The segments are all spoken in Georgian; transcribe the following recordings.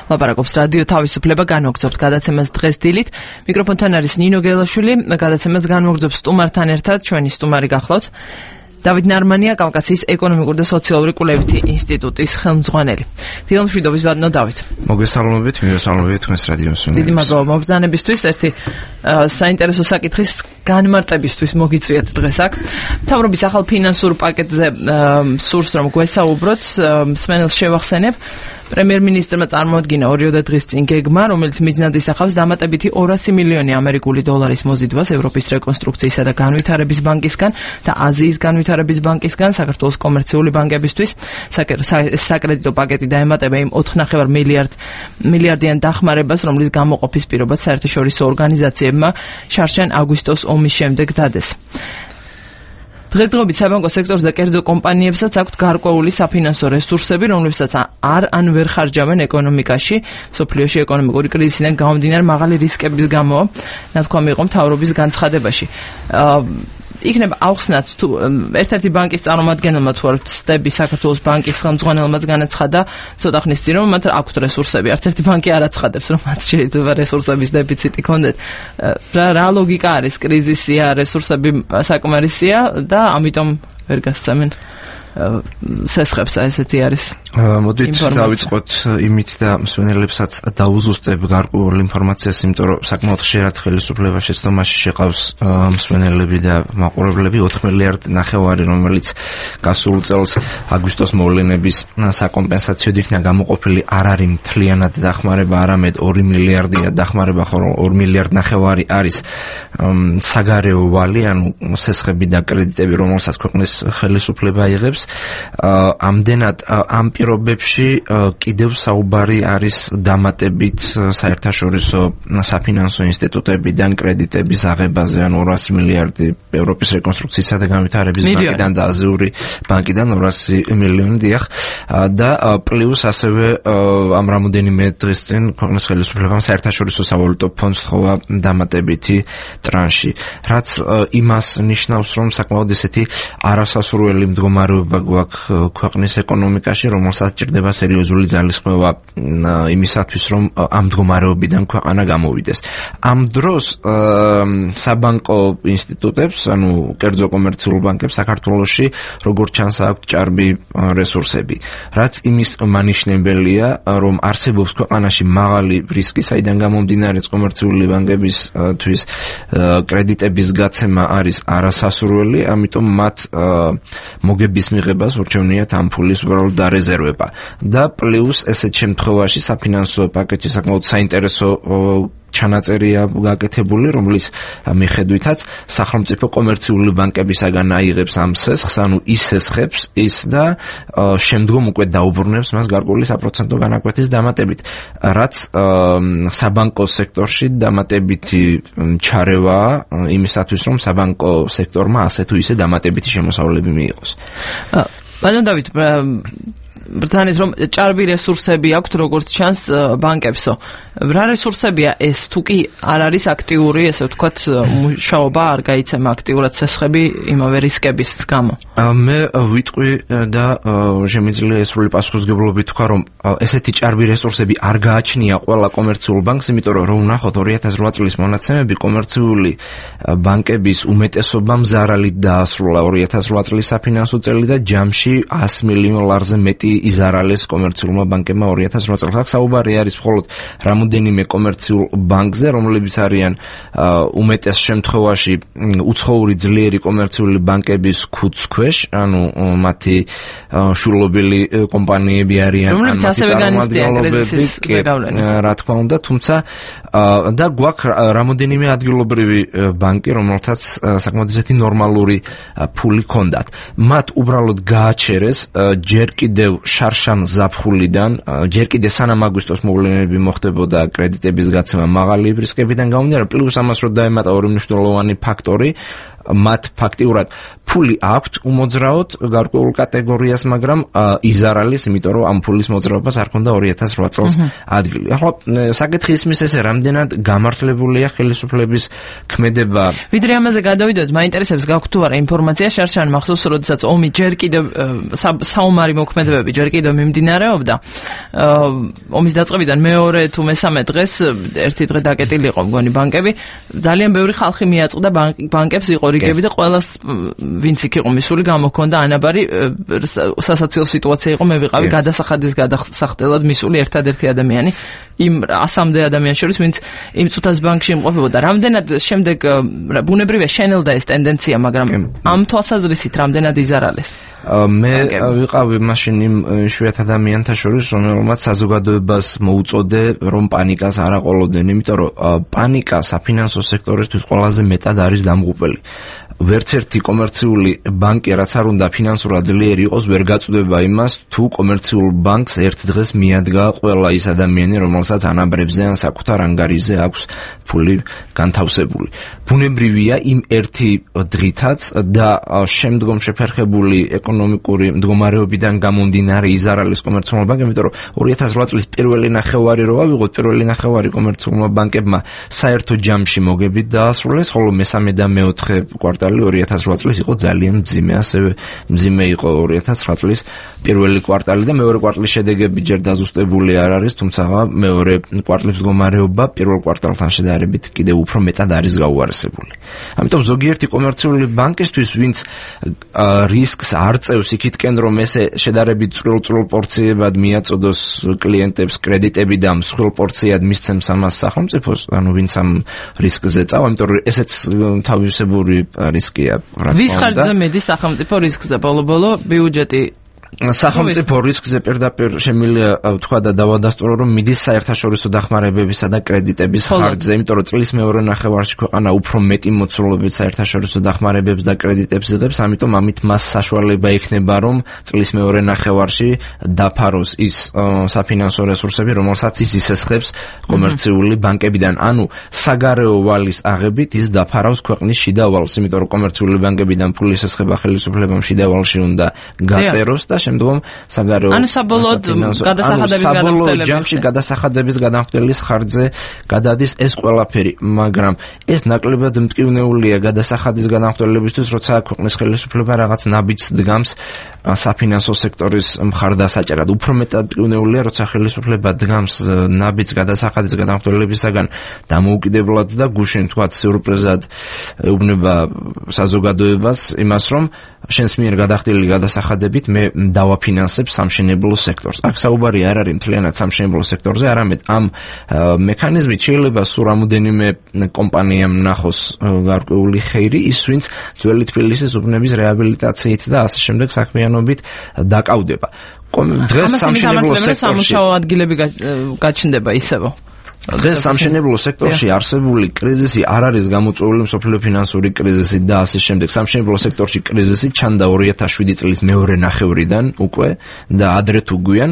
ლაპარაკობს რადიო თავისუფლება, განვაგრძობთ გადაცემას დღეს დილით. მიკროფონთან არის ნინო გელაშვილი, გადაცემას განვაგრძობს სტუმართან ერთად, ჩვენი სტუმარი გახლავთ. დავით ნარმანია, კავკასიის ეკონომიკური და სოციალური კვლევითი ინსტიტუტის ხელმძღვანელი. დილამშვიდობის ბატონო დავით. მოგესალმებით, მივესალმებით თქვენს რადიო მსმენელებს. დიდი მადლობა მობრძანებისთვის, ერთი საინტერესო საკითხის განმარტებისთვის მოგიწვიეთ დღეს აქ. მთავრობის ახალ ფინანსურ პაკეტზე სურს რომ გვესაუბროთ, მსმენელს შევახსენებ. პრემიერ-მინისტრმა წარმოადგინა 2 დღის წინ გეგმა, რომელიც მიზნად ისახავს დამატებითი 200 მილიონი ამერიკული დოლარის მოზიდვას ევროპის რეკონსტრუქციისა და განვითარების ბანკისგან და აზიის განვითარების ბანკისგან საქართველოს კომერციული ბანკებისთვის. საკრედიტო პაკეტი დაემატება იმ 4,5 მილიარდიან დახმარებას, რომლის გამოყოფის პირობაც საერთაშორისო ორგანიზაციებმა შარშან აგვისტოს ომის შემდეგ დადეს. დღესდღეობით საბანკო სექტორზე კერძო კომპანიებსაც აქვთ გარკვეული საფინანსო რესურსები, რომლებსაც ან ვერ ხარჯავენ ეკონომიკაში, სოფლიოში ეკონომიკური კრიზისიდან გამომდინარე მაღალი რისკების გამო, ნათქვამი იყო მთავრობის განცხადებაში. იქნება ავხსნათ თუ ერთ-ერთი ბანკის წარმომადგენელმა თუ არ ვცდები საქართველოს ბანკის ხელმძღვანელმაც განაცხადა ცოტა ხნის წინ რომ მათ აქვთ რესურსები. არც ერთი ბანკი არ აცხადებს რომ მათ შეიძლება რესურსების დეფიციტი ქონდეთ. რა ლოგიკა არის? კრიზისია, რესურსები საკმარისია და ამიტომ ვერ გასცემენ სესხებს, ესეთი არის. მოდით დავიწყოთ იმით და მსმენელებსაც დაუზუსტებ გარკვეულ ინფორმაციას, იმიტომ რომ საკმაოდ ხშირად ხელისუფლება შეცდომაში შეყავს მსმენელები და მაყურებლები 4 მილიარდ ნახევარი, რომელიც გასულ წელს აგვისტოს მოვლენების საკომპენსაციოდ იქნა გამოყოფილი, არ არის მთლიანად დახმარება, არამედ 2 მილიარდია დახმარება, ხოლო 2 მილიარდ ნახევარი არის საგარეო ვალი, ანუ სესხები და კრედიტები, რომელსაც ქვეყნის ხელისუფლება იღებს. ამდენად ამ პირობებში კიდევ საუბარი არის დამატებით საერთაშორისო საფინანსო ინსტიტუტებიდან კრედიტების აღებაზე, ანუ 200 მილიარდი ევროპის რეკონსტრუქციისა და განვითარების ბანკიდან და აზიური ბანკიდან 200 მილიონი დიახ და პლუს ასევე ამ რამოდენიმე დღის წინ ქვეყნის ხელისუფლებამ საერთაშორისო სავალუტო ფონდს თხოვა დამატებითი ტრანში, რაც იმას ნიშნავს, რომ საკმაოდ ესეთი არასასურველი მდგომარეობა გვაქვს ქვეყნის ეკონომიკაში, რომელსაც ჭირდება სერიოზული ძალისხმევა იმისათვის, რომ ამ მდგომარეობიდან ქვეყანა გამოვიდეს. ამ დროს საბანკო ინსტიტუტებს, ანუ კერძო კომერციულ ბანკებს საქართველოში როგორც ჩანს აქვთ ჭარბი რესურსები, რაც იმის მანიშნებელია, რომ არსებობს ქვეყანაში მაღალი რისკი, საიდან გამომდინარე კომერციული ბანკებისთვის კრედიტების გაცემა არის არასასურველი, ამიტომ მათ მოგების მიღებას ურჩევნიათ ამ ფულის უბრალოდ დარეზერვება. და პლუს ესეთ შემთხვევაში საფინანსო პაკეტი საკმაოდ საინტერესო ჩანაწერია გაკეთებული, რომლის მიხედვითაც სახელმწიფო კომერციული ბანკებისაგან აიღებს ამ სესხს, ანუ ის სესხებს ის და შემდგომ უკვე დაუბრუნებს მას გარკვეული საპროცენტო განაკვეთის დამატებით, რაც საბანკო სექტორში დამატებითი ჩარევა იმისათვის, რომ საბანკო სექტორმა ასე თუ ისე დამატებითი შემოსავლები მიიღოს. ბატონ დავით, ბრძანეთ რომ ჭარბი რესურსები აქვთ როგორც ჩანს ბანკებსო. რა რესურსებია ეს? თუ კი არ არის აქტიური, ესე ვთქვათ, მუშაობა არ გაიცემა აქტიურად სესხები იმავე რისკების გამო. მე ვიტყვი და შემიძლია ესრული პასუხისმგებლობით თქვა, რომ ესეთი ჭარბი რესურსები არ გააჩნია ყველა კომერციულ ბანკს, იმიტომ რომ ვნახოთ 2008 წლის მონაცემები, კომერციული ბანკების უმეტესობამ ზარალით დაასრულა 2008 წლის საფინანსო წელი და ჯამში 100 მილიონ ლარზე მეტი იზარალეს კომერციულმა ბანკებმა 2008 წელს. აქ საუბარი არის მხოლოდ რამოდენიმე კომერციულ ბანკზე, რომლებიც არიან უმეტეს შემთხვევაში უცხოური ძლიერი კომერციული ბანკების ქუდს ქვეშ, ანუ მათი შულობილი კომპანიები არიან, რომლებიც ასევე განიცდიან კრიზისის ზეგავლენით. რა თქმა უნდა, თუმცა და გვაქვს რამოდენიმე ადგილობრივი ბანკი, რომელთაც საკმაოდ ისეთი ნორმალური ფული ჰქონდათ. მათ უბრალოდ გააჩერეს ჯერ კიდევ შარშან ზაფხულიდან, ჯერ კიდევ სანამ აგვისტოს მოვლენები მოხდებოდა კრედიტების გაცემა მაღალი რისკებიდან გამომდინარე, პლუს ამას რომ დაემატა ორი მნიშვნელოვანი ფაქტორი, მათ ფაქტიურად ფული აქვთ უმოძრაოდ გარკვეულ კატეგორიას, მაგრამ იზარალის, იმიტომ რომ ამ ფულის მოძრაობას არ ქონდა 2008 წელს ადგილი. ახლა საკითხი ისმის ესე, რამდენად გამართლებულია ხელისუფლების ქმედება. ვიდრე ამაზე გადავიდოდეთ, მაინტერესებს გაქვთ თუ არა ინფორმაცია შარშან მახსოვს, როდესაც ომი ჯერ კიდევ საომარი მოქმედებები ჯერ კიდევ მიმდინარეობდა. ომის დაწყებიდან მეორე თუ მესამე დღეს ერთი დღე დაკეტილი იყო მგონი ბანკები, ძალიან ბევრი ხალხი მიაწყდა ბანკებს იყო რიგები და ყველას ვინც იქ იყო მისული გამოქონდა ანაბარი სასაცილო სიტუაცია იყო, მე ვიყავი გადასახადის გადასახდელად მისული ერთადერთი ადამიანი იმ 100-მდე ადამიანს შორის, ვინც იმ წუთას ბანკში იმყოფებოდა. რამდენად შემდეგ ბუნებრივია შენელდა ეს ტენდენცია, მაგრამ ამ თვალსაზრისით რამდენად იზარალეს? მე ვიყავი მაშინ იმ შვიათ ადამიანთა შორის, რომელმაც საზოგადოებას მოუწოდე, რომ პანიკას არ აყოლოდნენ, იმიტომ რომ პანიკა საფინანსო სექტორისთვის ყველაზე მეტად არის დამღუპელი. ვერც ერთი კომერციული ბანკი, რაც არ უნდა ფინანსურად ძლიერი იყოს, ვერ გაწვდება იმას, თუ კომერციულ ბანკს ერთ დღეს მიადგა ყველა ის ადამიანი, რომელსაც ანაბრებზე ან საკუთარ ანგარიზე აქვს ფული განთავსებული. ბუნებრივია იმ ერთი დღითაც და შემდგომ შეფერხებული ეკონომიკური მდგომარეობიდან გამომდინარე იზარალის კომერციულმა ბანკებმა, იმიტომ რომ 2008 წლის პირველი ნახევარი რო ავიღოთ, პირველი ნახევარი კომერციულმა ბანკებმა საერთო ჯამში მოგებით დაასრულეს, ხოლო მესამე და მეოთხე კვარტალი 2008 წლის იყო ძალიან მძიმე, ასევე მძიმე იყო 2009 წლის პირველი კვარტალი და მეორე კვარტლის შედეგები ჯერ დაზუსტებული არ არის, თუმცა მეორე კვარტლის მდგომარეობა პირველ კვარტალთან შედარებით კიდევ უფრო მეტად არის გაუარესებული. ამიტომ ზოგიერთი კომერციული ბანკისთვის, ვინც რისკს არ წევს იქითკენ, რომ ესე შედარებით წვრილ პორციებად მიაწოდოს კლიენტებს კრედიტები და მსხვილ პორციად მისცემს ამას სახელმწიფოს, ანუ ვინც ამ რისკზე წავა, იმიტომ რომ ესეც თავისებური რისკია. ვის ხარჯზე მედის სახელმწიფო რისკზე ბოლო-ბოლო ბიუჯეტი? სახელმწიფო რისკზე პირდაპირ შემიძლია თქვა და დავადასტურო, რომ მიდის საერთაშორისო დახმარებებისა და კრედიტების ხარჯზე, იმიტომ რომ წლის მეორე ნახევარში ქვეყანა უფრო მეტი მოცულობით საერთაშორისო დახმარებებს და კრედიტებს იღებს, ამიტომ ამით მას საშუალება ექნება, რომ წლის მეორე ნახევარში დაფაროს ის საფინანსო რესურსები, რომელსაც ის ისესხებს კომერციული ბანკებიდან. ანუ საგარეო ვალის აღებით ის დაფარავს ქვეყნის შიდა ვალს, იმიტომ რომ კომერციული ბანკებიდან ფული ისესხება ხელისუფლებამ შიდა ვალში უნდა გაწეროს და შემდგომ საგარეო საბოლოოდ გადასახადების განახდელის ხარჯზე გადადის ეს ყველაფერი, მაგრამ ეს ნაკლებად მტკივნეულია გადასახადის განახდელებისთვის, როცა ქვეყნის ხელისუფლება რაღაც ნაბიჯს დგამს საფინანსო სექტორის მხარდასაჭერად. უფრო მეტად მტკივნეულია, როცა ხელისუფლება დგამს ნაბიჯს გადასახადის განახდელებისაგან დამოუკიდებლად და გუშინ თქვა სიურპრიზად ეუბნება საზოგადოებას იმას, რომ შენს მიერ გადახდილი გადასახადებით მე დავაფინანსებ სამშენებლო სექტორს. აქ საუბარი არ არის მთლიანად სამშენებლო სექტორზე, არამედ ამ მექანიზმით შეიძლება სულ რამოდენიმე კომპანიამ ნახოს გარკვეული ხეირი, ის ვინც ძველი თბილისის უბნების რეაბილიტაციით და ასე შემდეგ საქმიანობით დაკავდება. დღეს სამშენებლო სექტორში სამუშაო ადგილები გაჩნდება ისევ. დღეს სამშენებლო სექტორში არსებული კრიზისი არ არის გამოწვეული მსოფლიო ფინანსური კრიზისით და ასე შემდეგ. სამშენებლო სექტორში კრიზისი ჩანდა 2007 წლის მეორე ნახევრიდან უკვე და ადრე თუ გვიან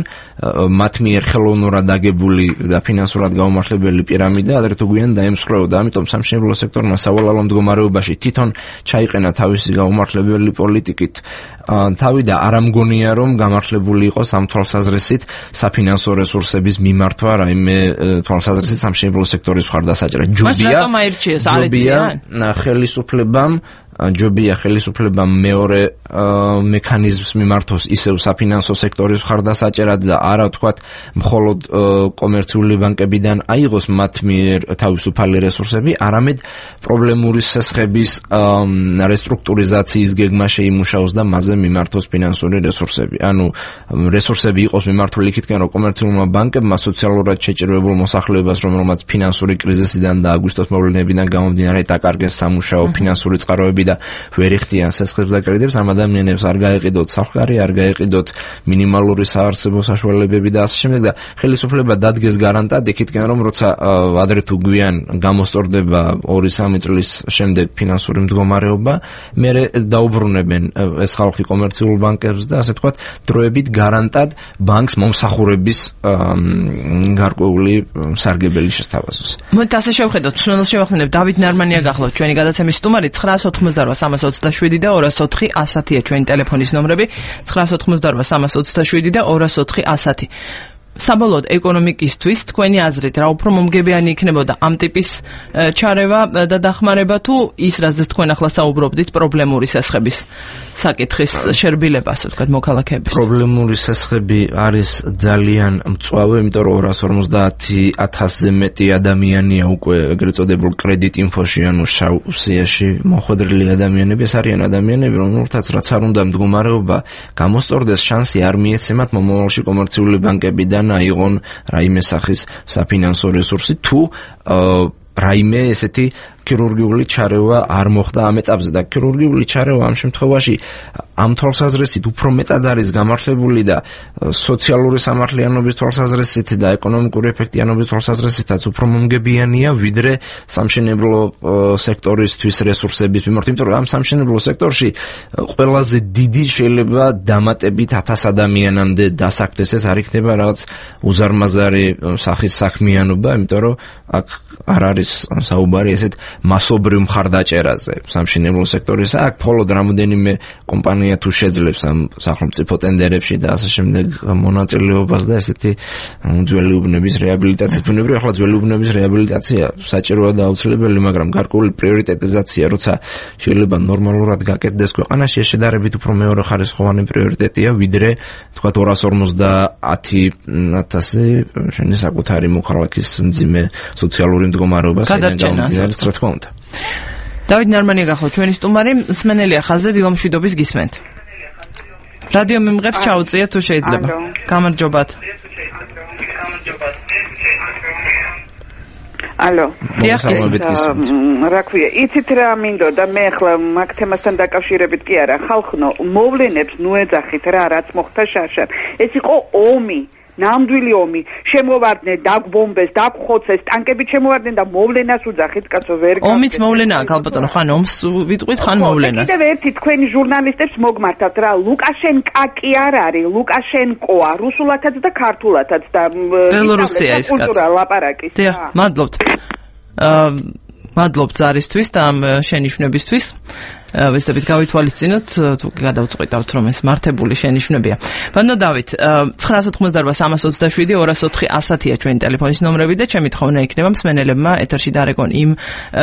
მათ მიერ ხელოვნურად აგებული და ფინანსურად გაუმართლებელი პირამიდა ადრე თუ გვიან დაემსხვრეოდა. ამიტომ სამშენებლო სექტორმა სავალალო მდგომარეობაში თვითონ ჩაიყენა თავისი გაუმართლებელი პოლიტიკით თავი და არ ამგონია, რომ გამართლებული იყოს ამ თვალსაზრისით საფინანსო რესურსების მიმართვა, რაიმე თვალსაზრისით სამშენებლო სექტორის მხარდასაჭერად. ჯობია ხელისუფლებამ მეორე მექანიზმს მიმართოს ისევ საფინანსო სექტორის მხარდასაჭერად და არა თქვათ მხოლოდ კომერციული ბანკებიდან აიღოს მათ მიერ თავისუფალი რესურსები, არამედ პრობლემური სესხების რესტრუქტურიზაციის გეგმა შეიმუშაოს და მასზე მიმართოს ფინანსური რესურსები. ანუ რესურსები იყოს მიმართული იქითკენ, რომ კომერციულმა ბანკებმა სოციალურად შეჭირებულ მოსახლეობას, რომელმაც ფინანსური კრიზისიდან და აგვისტოს მოვლენებიდან გამომდინარე დაკარგეს სამუშაო ფინანსური წყაროები და ვერ იხდიან სესხებს და კრედიტებს, ამ ადამიანებს არ გაეყიდოთ სახკარი, არ გაეყიდოთ მინიმალური საარსებო საშუალებები და ასე შემდეგ და ხელისუფლება დადგეს გარანტად იქითკენ, რომ როცა ადრე თუ გვიან გამოსწორდება 2-3 წლის შემდეგ ფინანსური მდგომარეობა, მერე დაუბრუნებენ ეს ხალხი კომერციულ ბანკებს და ასე თქვათ დროებით გარანტად ბანკს მომსახურების გარკვეული სარგებელი შესთავაზოს. მოდით ასე შევხედოთ, სულ შევახსენებ დავით ნარმანია გახლავთ ჩვენი გადაცემის სტუმარი 990 988-327 და 204-110-ია ჩვენი ტელეფონის ნომრები. 988-327 და 204-110. საბოლოოდ ეკონომიკისთვის თქვენი აზრით რა უფრო მომგებიანი იქნებოდა ამ ტიპის ჩარევა და დახმარება თუ ის რაზეც თქვენ ახლა საუბრობდით პრობლემური სასხების საკითხის შერბილება, ასე ვთქვათ, მოქალაქეების? პრობლემური სასხები არის ძალიან მწვავე, იმიტომ რომ 250,000-ზე მეტი ადამიანია უკვე ეგრეთ წოდებულ კრედიტ ინფოში, ანუ შავ სიაში მოხვედრილი ადამიანები. ეს არიან ადამიანები, რომელთაც რაც არ უნდა მდგომარეობა გამოსწორდეს, შანსი არ მიეცემათ მომავალში კომერციული ბანკებიდან აიღონ რაიმე სახის საფინანსო რესურსი თუ რაიმე ესეთი ქირურგიული ჩარევა არ მოხდა ამ ეტაპზე და ქირურგიული ჩარევა ამ შემთხვევაში ამ თვალსაზრისით უფრო მეტად არის გამართლებული და სოციალური სამართლიანობის თვალსაზრისით და ეკონომიკური ეფექტიანობის თვალსაზრისითაც უფრო მომგებიანია ვიდრე სამშენებლო სექტორისთვის რესურსების მიმართ, იმიტომ რომ ამ სამშენებლო სექტორში ყველაზე დიდი შეიძლება დამატებით 1000 ადამიანამდე დასაქმდეს. ეს არ იქნება რაღაც უზარმაზარი სახის საქმიანობა, იმიტომ რომ აქ არ არის საუბარი ესეთ მასობრივ მხარდაჭერაზე სამშენებლო სექტორისა. აქ მხოლოდ რამოდენიმე კომპანია თუ შეძლებს ამ სახელმწიფო ტენდერებში და ასე შემდეგ მონაწილეობას და ესეთი ძველი უბნების რეაბილიტაცია. ბუნებრივია, ახლა ძველი უბნების რეაბილიტაცია საჭიროა და აუცილებელი, მაგრამ გარკვეული პრიორიტეტიზაცია, როცა შეიძლება ნორმალურად გაკეთდეს ქვეყანაში, ეს შედარებით უფრო მეორე ხარისხოვანი პრიორიტეტია, ვიდრე თქვა 250,000 შენი საკუთარი მოქალაქის მძიმე სოციალური მდგომარეობა გადარჩენას, რა თქმა უნდა. დავით ნარმანია გახო ჩვენი სტუმარი, მსმენელია ხაზზე, დილომშვიდობის გისმენთ. რადიო მიმღებს ჩაუწიეთ თუ შეიძლება. გამარჯობათ. ალო. რა ქვია, იცით რა მინდოდა მე ახლა მაგ თემასთან დაკავშირებით კი არა, ხალხნო მოვლენებს ნუ ეძახით რა, რაც მოხდა შარშან. ეს იყო ომი. ნამდვილი ომი, შემოვარდნენ, დაგბომბეს, დაგხოცეს, ტანკები შემოვარდნენ და მოვლენას უძახით, კაცო ვერ გავიგე. ომიც მოვლენაა, ქალბატონო, ხან ომს ვიტყვით, ხან მოვლენას. კიდევ ერთი თქვენი ჟურნალისტებს მოგმართავთ რა, ლუკაშენკა კი არ არის, ლუკაშენკოა, რუსულათაც და ქართულათაც და ბელორუსია ის კაცი. ლაპარაკის. დიახ, მადლობთ. მადლობთ ზარისთვის და ამ შენიშვნებისთვის. ვეცდებით გავითვალისწინოთ, თუ გადავწყვიტავთ, რომ ეს მართებული შენიშვნებია. ბანო დავით, 988-327-204-110-ია ჩვენი ტელეფონის ნომრები და ჩემი თხოვნა იქნება მსმენელებმა ეთერში დარეკონ იმ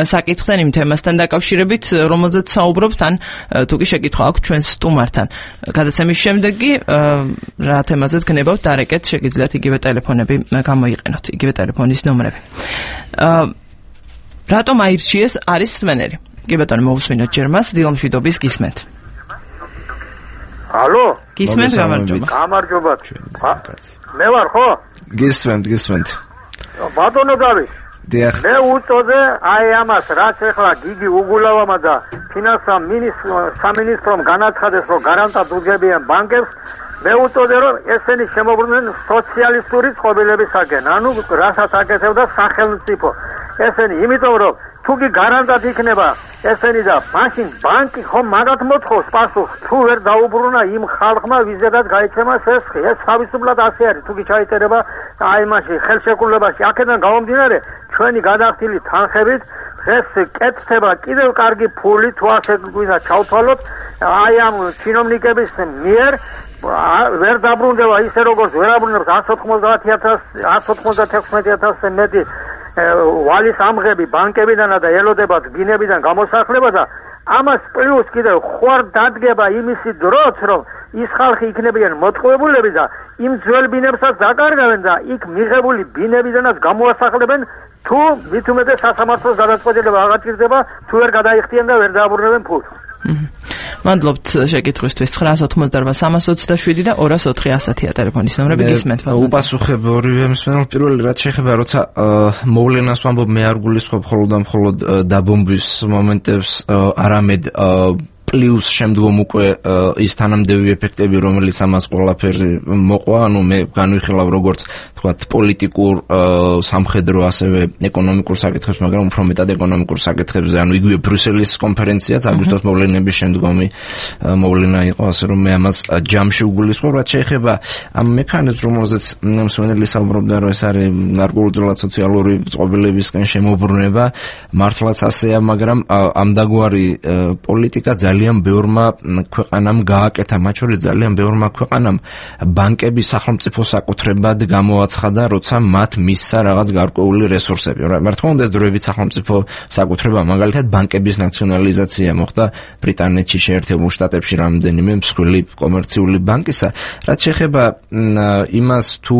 საკითხთან, იმ თემასთან დაკავშირებით, რომელზეც საუბრობთ, ან თუ კი შეკითხვა აქვს ჩვენ სტუმართან. გადაცემის შემდეგ კი რა თემაზეც გნებავთ დარეკეთ, შეგიძლიათ იგივე ტელეფონები გამოიყენოთ, იგივე ტელეფონის ნომრები. რატომ აირჩიეს არის მსმენელი? კი ბატონო, მოვუსმინოთ ჯერ მას, დილომშვიდობის გისმენთ. ალო? გისმენთ, გამარჯობა. გამარჯობა. მე ვარ ხო? გისმენთ. ბატონო დავით. დიახ. მე უწოდე აი ამას, რაც ახლა გიგი უგულავამა და ფინანსთა სამინისტრომ განაცხადეს, რომ გარანტად უძებიან ბანკებს, მე უწოდე, რომ ესენი შემოbrunდნენ სოციალისტური წყობილებისაგან, ანუ რასაც აკეთებდა სახელმწიფო. ესენი იმიტომ რომ თუ კი გარანტად იქნება ესენი და მაშინ ბანკი ხომ მაგათ მოთხოვს პასუხს, თუ ვერ დაუბრუნა იმ ხალხმა ვიზედაც გაიცემა სესხი. ეს თავისუფლად ასე არის, თუ კი ჩაიწერება აი მაშინ ხელშეკრულებაში. აქედან გამომდინარე, ჩვენი გადახდილი თანხებით ეს კეთდება კიდევ კარგი ფული, თუ ასე გვინდა ჩავთვალოთ აი ამ ჩინოვნიკების მიერ ვერ დაბრუნდება ისე როგორც ვერ აბრუნებს 196,000-ზე მეტი ვალის ამღები ბანკებიდან და ელოდება ბინებიდან გამოსახლება და ამას პლუს კიდევ ხوار დადგება იმისი დროც, რომ ის ხალხი იქნებიან მოტყუებულები და იმ ძველ ბინებსაც დაკარგავენ და იქ მიღებული ბინებიდანაც გამოასახლებენ, თუ მით უმეტეს სასამართლოს გადაწყვეტილება აღაჭირდება, თუ ვერ გადაიხდიან და ვერ დააბრუნებენ ფულს. მადლობთ შეკითხვისთვის. 988-327 და 204-110-ია ტელეფონის ნომრები, გისმენთ. უპასუხებ ორივე მსმენელს. პირველი რაც შეეხება, როცა მოვლენას ვამბობ, მე არ გულისხმობ მხოლოდ დაბომბვის მომენტებს, არამედ პლუს შემდგომ უკვე ის თანამდები ეფექტები, რომელიც ამას ყველაფერზე მოყვა, ანუ მე განვიხილავ როგორც თქვათ პოლიტიკურ, სამხედრო, ასევე ეკონომიკურ საკითხებს, მაგრამ უფრო მეტად ეკონომიკურ საკითხებზე, ანუ იგივე ბრიუსელის კონფერენციაც აგვისტოს მოვლენების შემდგომი მოვლენა იყო, ასე რომ მე ამას ჯამში უგულისხმობ, რაც შეეხება ამ მექანიზმს, რომელზეც მსმენელი საუბრობდა, რომ ეს არის გარკვეულწილად სოციალური წყობილებისკენ შემოbrunება, მართლაც ასეა, მაგრამ ამდაგვარი პოლიტიკა ძალიან ბევრმა ქვეყანამ გააკეთა, მათ შორის ძალიან ბევრმა ქვეყანამ ბანკების სახელმწიფო საკუთრებად გამოაცხადა, როცა მათ მისცა რაღაც გარკვეული რესურსები. რა თქმა უნდა, ეს დროებით სახელმწიფო საკუთრება, მაგალითად, ბანკების ნაციონალიზაცია მოხდა ბრიტანეთში, შეერთებულ შტატებში რამდენიმე მსხვილი კომერციული ბანკისა. რაც შეეხება იმას, თუ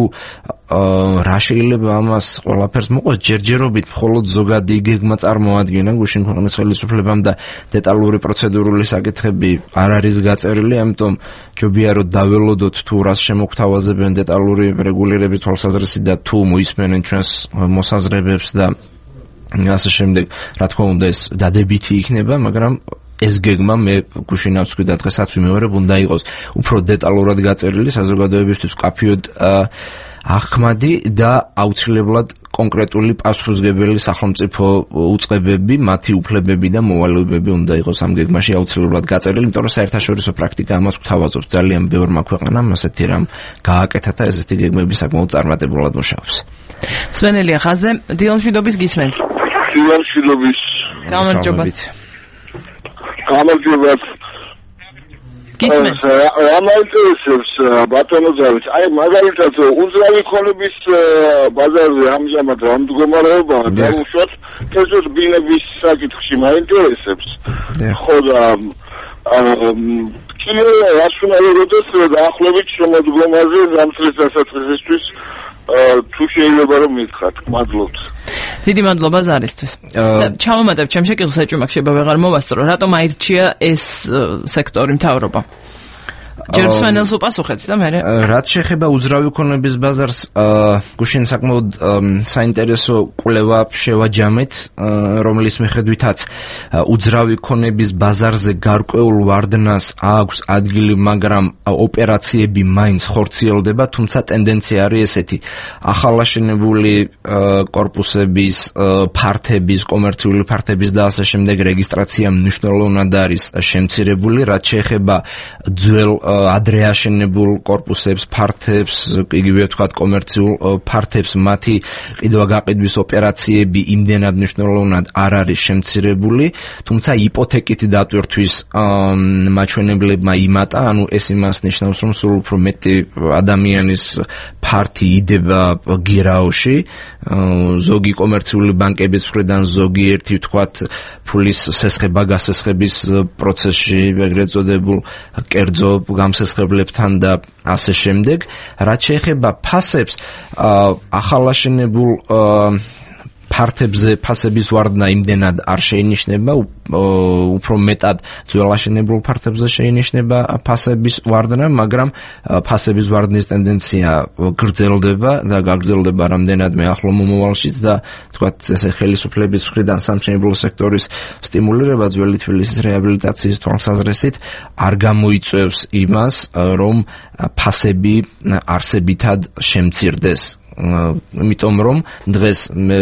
რა შეიძლება ამას ყველაფერს მოყოს, ჯერჯერობით მხოლოდ ზოგადი გეგმა წარმოადგინა გუშინ ქვეყნის ხელისუფლებამ და დეტალური პროცედურული საკითხები არ არის გაწერილი, ამიტომ ჯობია რომ დაველოდოთ თუ რას შემოგთავაზებენ დეტალური რეგულირების თვალსაზრისით და თუ მოისმენენ ჩვენს მოსაზრებებს და ასე შემდეგ, რა თქმა უნდა ეს დადებითი იქნება, მაგრამ ეს გეგმა მე გუშინაც ვთქვი და დღესაც ვიმეორებ, უნდა იყოს უფრო დეტალურად გაწერილი, საზოგადოებისთვის მკაფიოდ აღქმადი და აუცილებლად კონკრეტული პასუხისმგებელი სახელმწიფო უწყებები, მათი უფლებები და მოვალეობები უნდა იყოს ამ გეგმაში აუცილებლად გაწერილი, იმიტომ რომ საერთაშორისო პრაქტიკა ამას გვთავაზობს. ძალიან ბევრმა ქვეყანამ ასეთი რამ გააკეთა და ესეთი გეგმები საკმაოდ წარმატებულად მუშაობს. სვენელია ხაზე, დილამშვიდობის გისმენთ. დილამშვიდობის. გამარჯობათ. გამარჯობათ. ამაინტერესებს ბატონო ზავით, აი მაგალითად უძრავი ქონების ბაზარზე ამჟამად რა მდგომარეობაა და უშუალოდ თესოთ ბილების საკითხში მაინტერესებს. ხო და კიდე რას უნდა როდეს დაახლოებით შემოდგომაზე ზამთრის დასაწყისისთვის თუ შეიძლება რომ მითხრათ, მადლობთ. დიდი მადლობა ზარისთვის. ჩავამატებ ჩემ შეკითხვას, ეჭვმა შეიძლება ვეღარ მოვასწრო, რატომ აირჩია ეს სექტორი მთავრობა? ჯერ სვენელს უპასუხეთ და მე რაც შეეხება უძრავი ქონების ბაზარს, გუშინ საკმაოდ საინტერესო კვლევა შევაჯამეთ, რომლის მიხედვითაც უძრავი ქონების ბაზარზე გარკვეულ ვარდნას აქვს ადგილი, მაგრამ ოპერაციები მაინც ხორციელდება, თუმცა ტენდენცია არის ესეთი: ახალაშენებული კორპუსების, ფართების, კომერციული ფართების და ასე შემდეგ რეგისტრაცია მნიშვნელოვნად არის შემცირებული, რაც შეეხება ძველ ადრე აშენებულ კორპუსებს, ფართებს, იგივე ვთქვათ კომერციულ ფართებს, მათი ყიდვა-გაყიდვის ოპერაციები იმდენად მნიშვნელოვნად არ არის შემცირებული, თუმცა იპოთეკით დატვირთვის მაჩვენებლებმა იმატა, ანუ ეს იმას ნიშნავს, რომ სულ უფრო მეტი ადამიანის ფართი იდება გირაოში, ზოგი კომერციული ბანკების მხრიდან, ზოგიერთი ვთქვათ ფულის სესხება-გასესხების პროცესში, ეგრეთ წოდებულ კერძო გამსესხებლებთან და ასე შემდეგ. რაც შეეხება ფასებს, ახალაშენებულ ფართებზე ფასების ვარდნა იმდენად არ შეინიშნება, უფრო მეტად ძველაშენებულ ფართებზე შეინიშნება ფასების ვარდნა, მაგრამ ფასების ვარდნის ტენდენცია გრძელდება და გაგრძელდება რამდენადმე ახლო მომავალშიც და თქვათ ესე ხელისუფლების მხრიდან სამშენებლო სექტორის სტიმულირება ძველი თბილისის რეაბილიტაციის თვალსაზრისით არ გამოიწვევს იმას, რომ ფასები არსებითად შემცირდეს. იმიტომ რომ დღეს მე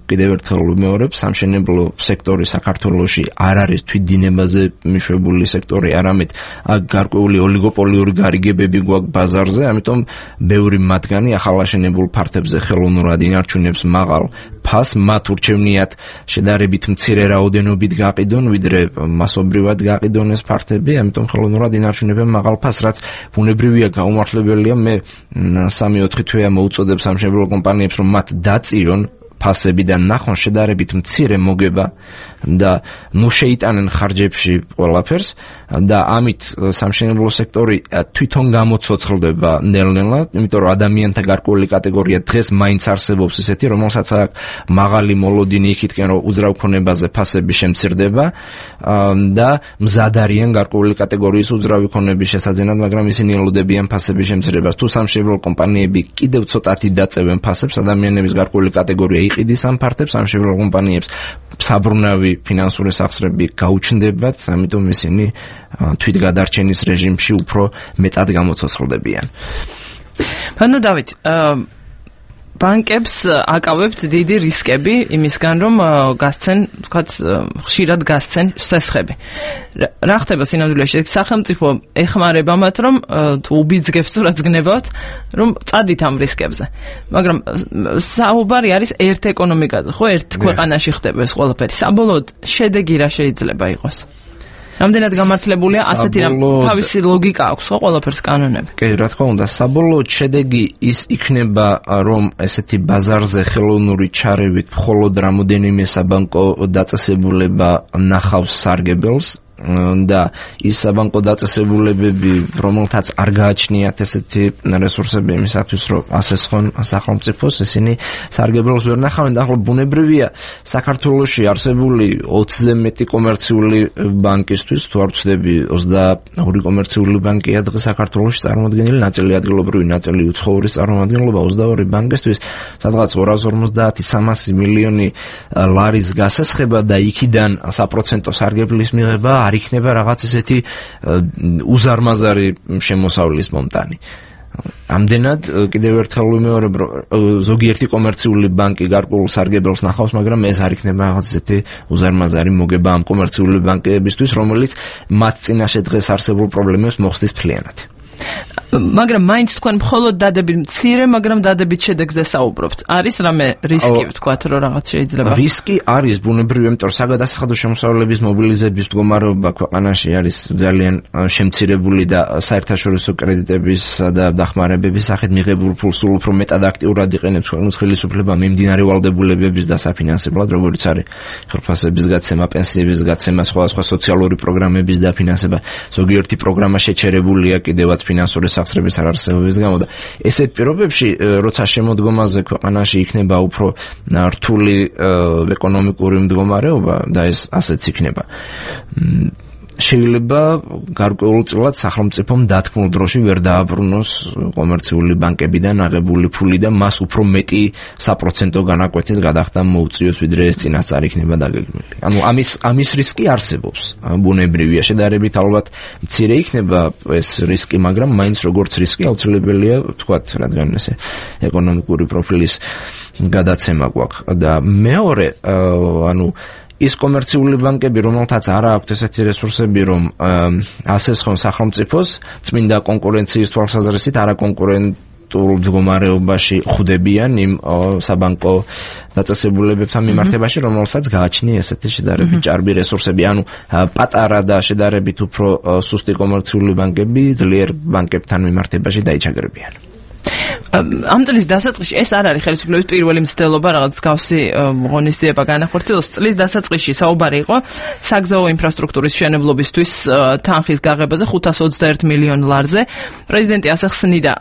კიდევ ერთხელ ვიმეორებ, სამშენებლო სექტორი საქართველოში არ არის თვითდინებაზე მიშვებული სექტორი, არამედ გარკვეული ოლიგოპოლიური გარიგებები გვაქვს ბაზარზე, ამიტომ ბევრი მათგანი ახალაშენებულ ფართებზე ხელოვნურად ინარჩუნებს მაღალ ფასს, მათ ურჩევნიათ შედარებით მცირე რაოდენობით გაყიდონ, ვიდრე მასობრივად გაყიდონ ეს ფართები, ამიტომ ხელოვნურად ინარჩუნებენ მაღალ ფასს, რაც ბუნებრივია, გაუმართლებელია. მე 3-4 თვეა მოუწოდებ სამშენებლო კომპანიებს, რომ მათ დაწიონ ფასები და ნახონ შედარებით მცირე მოგება და ნუ შეიტანენ ხარჯებში ყველაფერს და ამით სამშენებლო სექტორი თვითონ გამოცოცხლდება ნელ-ნელა, იმიტომ რომ ადამიანთა გარკვეული კატეგორია დღეს მაინც არსებობს ისეთი, რომელსაც მაღალი მოლოდინი იქითკენ რომ უძრავ ქონებაზე ფასები შემცირდება და მზად არიან გარკვეული კატეგორიის უძრავი ქონების შესაძენად, მაგრამ ისინი ელოდებიან ფასების შემცირებას. თუ სამშენებლო კომპანიები კიდევ ცოტათი დაწევენ ფასებს, ადამიანების გარკვეული კატეგორია იყიდის ამ ფართებს, სამშენებლო კომპანიებს საბრუნავი ფინანსური სახსრები გაუჩნდებათ, ამიტომ ისინი თვითგადარჩენის რეჟიმში უფრო მეტად გამოცოცხლდებიან. ანუ დავით, ბანკებს აკავებთ დიდი რისკები იმისგან, რომ გასცენ, თქვათ, ხშირად გასცენ სესხები. რა ხდება სინამდვილეში? სახელმწიფო ეხმარება მათ, რომ თუ უბიძგებს თუ რაც გნებავთ, რომ წადით ამ რისკებზე. მაგრამ საუბარი არის ერთ ეკონომიკაზე, ხო? ერთ ქვეყანაში ხდება ეს ყველაფერი. საბოლოოდ შედეგი რა შეიძლება იყოს? რამდენად გამართლებულია ასეთი რამ თავისი ლოგიკა აქვს ხო ყველაფერს კანონები. კი, რა თქმა უნდა, საბოლოოდ შედეგი ის იქნება, რომ ესეთი ბაზარზე ხელოვნური ჩარევით მხოლოდ რამოდენიმე საბანკო დაწესებულება ნახავს სარგებელს და ის საბანკო დაწესებულებები, რომელთაც არ გააჩნიათ ესეთი რესურსები იმისათვის, რომ ასესხონ სახელმწიფოს, ისინი სარგებელს ვერ ნახავენ და ახლა ბუნებრივია საქართველოში არსებული 20-ზე მეტი კომერციული ბანკისთვის, თუ არ ვცდები 22 კომერციული ბანკია დღეს საქართველოში წარმოადგენილი, ნაწილი ადგილობრივი, ნაწილი უცხოური წარმომადგენლობა 22 ბანკისთვის, სადღაც 250-300 მილიონი ლარის გასესხება და იქიდან საპროცენტო სარგებლის მიღება არ იქნება რაღაც ესეთი უზარმაზარი შემოსავლის მომტანი. ამდენად კიდევ ერთხელ ვიმეორებ, რომ ზოგიერთი კომერციული ბანკი გარკვეულ სარგებელს ნახავს, მაგრამ ეს არ იქნება რაღაც ესეთი უზარმაზარი მოგება ამ კომერციული ბანკებისთვის, რომელიც მათ წინაშე დღეს არსებულ პრობლემებს მოხსნის მთლიანად. მაგრამ მაინც თქვენ მხოლოდ დადებით მცირე, მაგრამ დადებით შედეგზე საუბრობთ. არის რამე რისკი ვთქვათ, რომ რაღაც შეიძლება? რისკი არის ბუნებრივი, იმიტომ რომ საგადასახადო შემოსავლების მობილიზების მდგომარეობა ქვეყანაში არის ძალიან შემცირებული და საერთაშორისო კრედიტების და დახმარებების სახით მიღებულ ფულს სულ უფრო მეტად აქტიურად იყენებს ქვეყნის ხელისუფლება მიმდინარე ვალდებულებების დასაფინანსებლად, როგორც არის ხელფასების გაცემა, პენსიების გაცემა, სხვადასხვა სოციალური პროგრამების დაფინანსება. ზოგიერთი პროგრამა შეჩერებულია კიდევაც ფინანსური სახსრების არარსებობის გამო და ესეთ პირობებში, როცა შემოდგომაზე ქვეყანაში იქნება უფრო რთული ეკონომიკური მდგომარეობა და ეს ასეც იქნება, შეიძლება გარკვეულწილად სახელმწიფომ დათქმულ დროში ვერ დააბრუნოს კომერციული ბანკებიდან აღებული ფული და მას უფრო მეტი საპროცენტო განაკვეთის გადახდა მოუწიოს, ვიდრე ეს წინასწარ იქნება დაგეგმილი. ანუ ამის რისკი არსებობს. ბუნებრივია, შედარებით ალბათ მცირე იქნება ეს რისკი, მაგრამ მაინც როგორც რისკი აუცილებელია, ვთქვათ, რადგან ესე ეკონომიკური პროფილის გადაცემა გვაქვს. და მეორე, ანუ ის კომერციული ბანკები, რომელთაც არ აქვთ ესეთი რესურსები, რომ ასესხონ სახელმწიფოს, წმინდა კონკურენციის თვალსაზრისით არაკონკურენტულ მდგომარეობაში ხვდებიან იმ საბანკო დაწესებულებებთან მიმართებაში, რომელსაც გააჩნია ესეთი შედარებით ჭარბი რესურსები. ანუ პატარა და შედარებით უფრო სუსტი კომერციული ბანკები ძლიერ ბანკებთან მიმართებაში დაიჩაგრებიან. ამ წლის დასაწყისში ეს არ არის ხელისუფლების პირველი მცდელობა რაღაც გავსი ღონისძიება განახორციელოს. წლის დასაწყისში საუბარი იყო საგზაო ინფრასტრუქტურის მშენებლობისთვის თანხის გაღებაზე 521 მილიონ ლარზე. პრეზიდენტი ასე ხსნიდა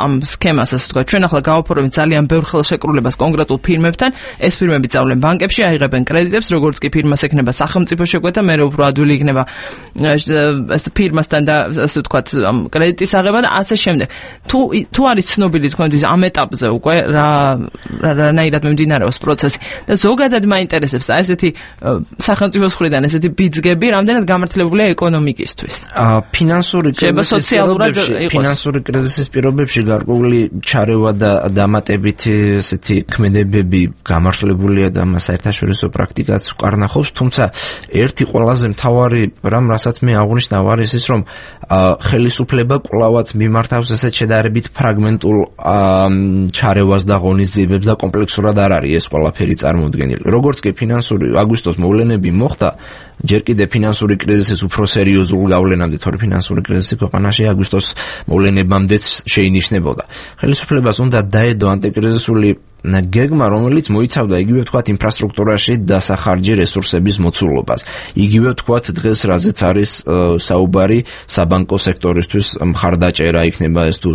ამ სქემას, ასე ვთქვათ, ჩვენ ახლა გავაფორმებთ ძალიან ბევრ ხელშეკრულებას კონკრეტულ ფირმებთან. ეს ფირმები წავლენ ბანკებში, აიღებენ კრედიტებს, როგორც კი ფირმას ექნება სახელმწიფო შეკვეთა, მე უფრო ადვილი იქნება ეს ფირმასთან და ასე ვთქვათ კრედიტის აღება და ასე შემდეგ. თუ არის ცნობილი თქვენთვის ამ ეტაპზე უკვე რანაირად მიმდინარეობს პროცესი და ზოგადად მაინტერესებს ესეთი სახელმწიფოს მხრიდან ესეთი ბიძგები რამდენად გამართლებულია ეკონომიკისთვის. ფინანსური კრიზისის პირობებში გარკვეული ჩარევა და დამატებითი ესეთი ქმედებები გამართლებულია და მას საერთაშორისო პრაქტიკაც უკარნახობს, თუმცა ერთი ყველაზე მთავარი რამ, რასაც მე აღნიშნავ, არის ის, რომ ხელისუფლება კვლავაც მიმართავს ესეთ შედარებით ფრაგმენტულ ჩარევას და ღონისძიებებს და კომპლექსურად არ არის ეს ყველაფერი წარმოუდგენელი. როგორც კი ფინანსური აგვისტოს მოვლენები მოხდა, ჯერ კიდევ ფინანსური კრიზისის უფრო სერიოზულ გავლენამდე, თორე ფინანსური კრიზისი ქვეყანაში აგვისტოს მოვლენებამდეც შეინიშნებოდა. ხელისუფლებას უნდა დაედო ანტიკრიზისული გეგმა, რომელიც მოიცავდა იგივე ვთქვათ ინფრასტრუქტურაში დასახარჯი რესურსების მოცულობას. იგივე ვთქვათ დღეს რაზეც არის საუბარი საბანკო სექტორისთვის მხარდაჭერა იქნება ეს თუ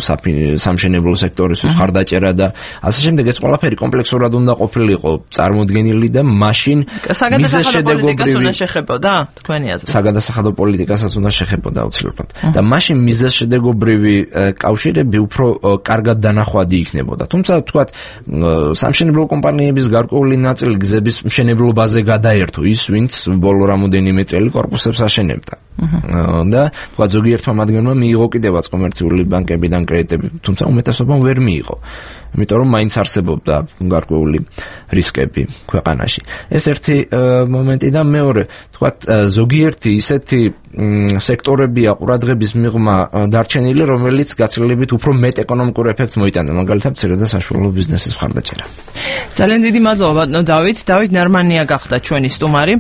სამშენებლო სექტორისთვის მხარდაჭერა და ასე შემდეგ. ეს ყველაფერი კომპლექსურად უნდა ყოფილიყო წარმოდგენილი და მაშინ საგადასახადო პოლიტიკას უნდა შეხებოდა თქვენი აზრით. საგადასახადო პოლიტიკასაც უნდა შეხებოდა აუცილებლად. და მაშინ მიზეზშედეგობრივი კავშირები უფრო კარგად დანახვადი იქნებოდა. თუმცა ვთქვათ სამშენებლო კომპანიების გარკვეული ნაწილი გზების მშენებლობაზე გადაერთო ის, ვინც ბოლო რამოდენიმე წელი კორპუსებს აშენებდა. და თქვა ზოგიერთმა მათგანმა მიიღო კიდევაც კომერციული ბანკებიდან კრედიტები, თუმცა უმეტესობამ ვერ მიიღო. იმიტომ რომ მაინც არსებობდა გარკვეული რისკები ქვეყანაში. ეს ერთი მომენტი და მეორე, თქვა ზოგიერთი ისეთი სექტორებია ყურადღების მიღმა დარჩენილი, რომელიც გაცილებით უფრო მეტ ეკონომიკურ ეფექტს მოიტანდა, მაგალითად მცირე და საშუალო ბიზნესის მხარდაჭერა. ძალიან დიდი მადლობა ბატონო დავით ნარმანია გახდა ჩვენი სტუმარი.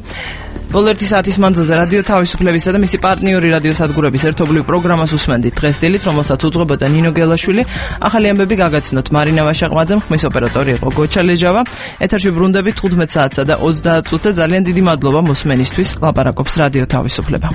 ბოლო 1 საათის მანძილზე რადიო თავისუფლებისა და მისი პარტნიორი რადიოსადგურების ერთობლივ პროგრამას უსმენდით დღეს დილით, რომელსაც უძღვებოდა ნინო გელაშვილი. ახალი ამბები გაგაცნოთ მარინა ვაშაყმაძემ, ხმის ოპერატორი იყო გოჩა ლეჟავა. ეთერში ბრუნდებით 15 საათსა და 30 წუთზე. ძალიან დიდი მადლობა მოსმენისთვის. ლაპარაკობს რადიო თავისუფლება.